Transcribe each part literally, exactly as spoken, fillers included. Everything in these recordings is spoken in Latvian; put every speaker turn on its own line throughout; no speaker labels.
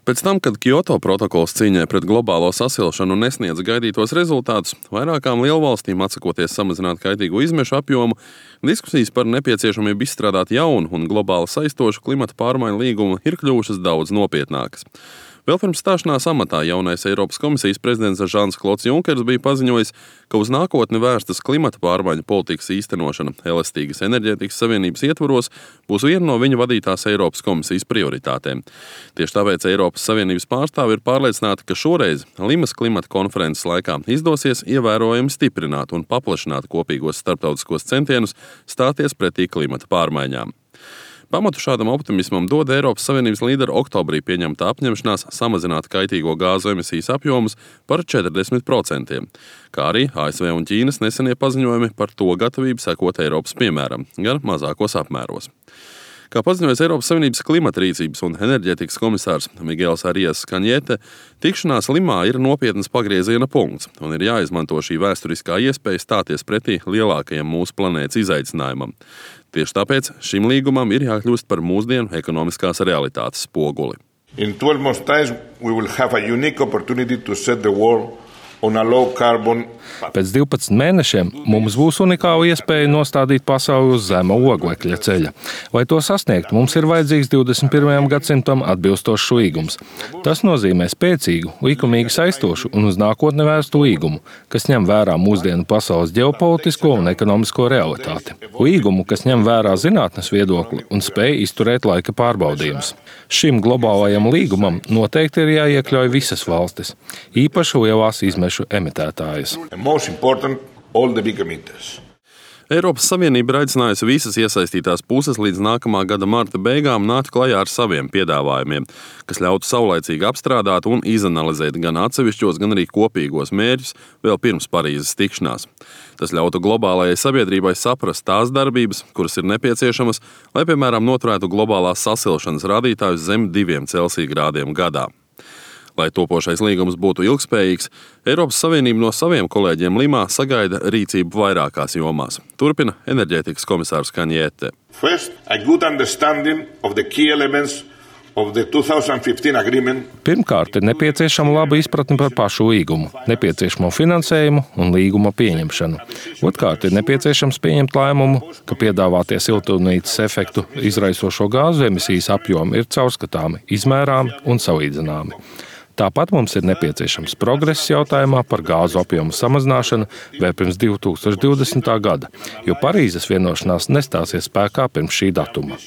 Pēc tam, kad Kioto protokols cīņai pret globālo sasilšanu nesniedz gaidītos rezultātus, vairākām lielvalstīm atsakoties samazināt kaitīgo izmešu apjomu, diskusijas par nepieciešamību izstrādāt jaunu un globāli saistošu klimata pārmaiņu līgumu ir kļuvušas daudz nopietnākas. Vēl pirms stāšanās amatā jaunais Eiropas komisijas prezidents Žans Klods Junkers bija paziņojis, ka uz nākotni vērstas klimata pārmaiņu politikas īstenošana elastīgas enerģētikas savienības ietvaros būs viena no viņa vadītās Eiropas komisijas prioritātēm. Tieši tāpēc Eiropas Savienības pārstāvi ir pārliecināti, ka šoreiz Limas klimata konferences laikā izdosies ievērojami stiprināt un paplašināt kopīgos starptautiskos centienus stāties pretī klimata pārmaiņām. Pamatu šādam optimismam dod Eiropas Savienības līderu oktobrī pieņemtā apņemšanās samazināt kaitīgo gāzu emisijas apjomus par četrdesmit procentiem, kā arī A S V un Ķīnas nesenie paziņojumi par to gatavību sekot Eiropas piemēram, gan mazākos apmēros. Kā paziņojas Eiropas Savienības klimata rīcības un enerģētikas komisārs Miguels Arias Kaņete, tikšanās Limā ir nopietnas pagrieziena punkts un ir jāizmanto šī vēsturiskā iespēja stāties pretī lielākajam mūsu planētas izaicinājumam. Tieši tāpēc šim līgumam ir jākļūst par mūsdienu ekonomiskās realitātes spoguli.
In twelve months' time, we will have a unique opportunity to set the world on a low carbon.
Pēc divpadsmit mēnešiem mums būs unikāla iespēja nostādīt pasauli uz zema oglekļa ceļa. Lai to sasniegtu, mums ir vajadzīgs divdesmit pirmajam gadsimtam atbilstošs līgums. Tas nozīmē spēcīgu, likumīgi saistošu un uz nākotni vērstu līgumu, kas ņem vērā mūsdienu pasaules ģeopolitisko un ekonomisko realitāti. Līgumu, kas ņem vērā zinātnes viedokli un spēj izturēt laika pārbaudījumus. Šim globālajam līgumam noteikti ir jāiekļauj visas valstis, īpaši lielās izmešu emitētājas.
Most important, all the big emitters.
Eiropas Savienība ir aicinājusi visas iesaistītās puses līdz nākamā gada marta beigām nākt klajā ar saviem piedāvājumiem, kas ļautu saulaicīgi apstrādāt un izanalizēt gan atsevišķos, gan arī kopīgos mērķus vēl pirms Parīzes tikšanās. Tas ļautu globālajai sabiedrībai saprast tās darbības, kuras ir nepieciešamas, lai, piemēram, noturētu globālās sasilšanas rādītājus zem diviem Celsija grādiem gadā. Lai topošais līgums būtu ilgspējīgs, Eiropas Savienība no saviem kolēģiem Limā sagaida rīcību vairākās jomās. Turpina enerģētikas komisārs Kaņete.
First, a good understanding of the key elements of the two thousand fifteen agreement.
Pirmkārt, ir nepieciešama laba izpratne par pašu līgumu, nepieciešamo finansējumu un līguma pieņemšanu. Otkārt, ir nepieciešams pieņemt lēmumu, ka piedāvātie siltumnīcas efektu izraisošo gāzu emisijas apjomi ir caurskatāmi, izmērāmi un salīdzināmi. Tāpat mums ir nepieciešams progress jautājumā par gāzu apjomu samazināšanu vēl pirms divi tūkstoši divdesmitā gada, jo Parīzes vienošanās nestāsies spēkā pirms šī datuma.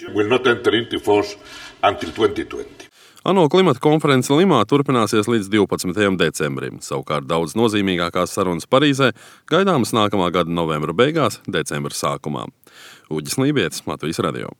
ANO klimata konference Limā turpināsies līdz divpadsmitajam decembrim. Savukārt daudz nozīmīgākās sarunas Parīzē gaidāmas nākamā gada novembra beigās, decembra sākumā. Uģis Lībietis, Latvijas radio.